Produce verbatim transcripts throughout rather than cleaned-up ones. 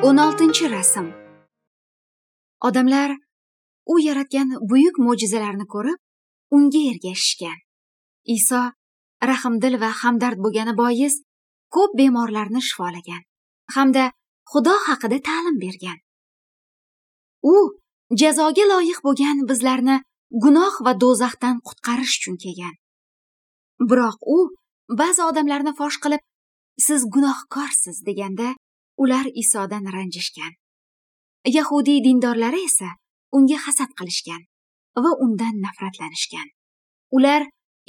O'n oltinchi rasm. Odamlar u yaratgan buyuk mo'jizalarni ko'rib, unga ergashishgan. Iso rahmdil va hamdard bo'lgani bois ko'p bemorlarni shifolagan hamda Xudo haqida ta'lim bergan. U jazoga loyiq bo'lgan bizlarni gunoh va do'zaxdan qutqarish uchun kelgan. Biroq u ba'zi odamlarni fosh qilib, siz gunohkorsiz deganda ular Isodan ranjishgan. Yahudiy dindorlari esa unga hasad qilishgan va undan nafratlanishgan. Ular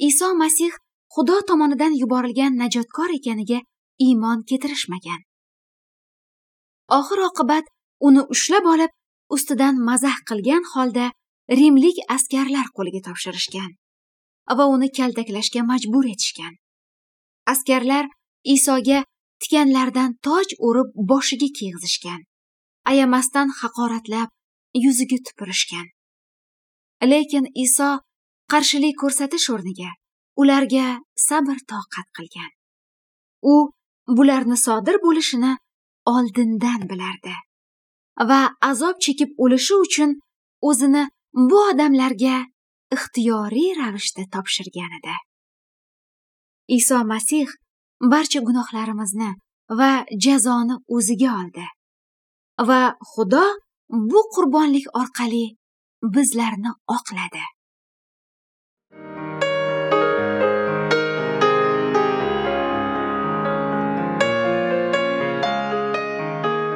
Iso Masih Xudo tomonidan yuborilgan najotkor ekaniga iymon keltirishmagan. Oxir oqibat uni ushlab olib, ustidan mazax qilgan holda rimlik askarlar qo'liga topshirishgan va uni kaltaklashga majbur etishgan. Askarlar Isoga tikanlardan toj o'rib boshiga kiygizishgan, ayamasdan haqoratlab yuziga tupurishgan. Lekin Iso qarshilik ko'rsatish o'rniga ularga sabr toqat qilgan. U bularni sodir bo'lishini oldindan bilardi va azob chekib o'lishi uchun o'zini bu odamlarga ixtiyoriy ravishda topshirgan edi. Iso Masih barcha gunohlarimizni va jazoni o'ziga oldi va Xudo bu qurbonlik orqali bizlarni oqladi.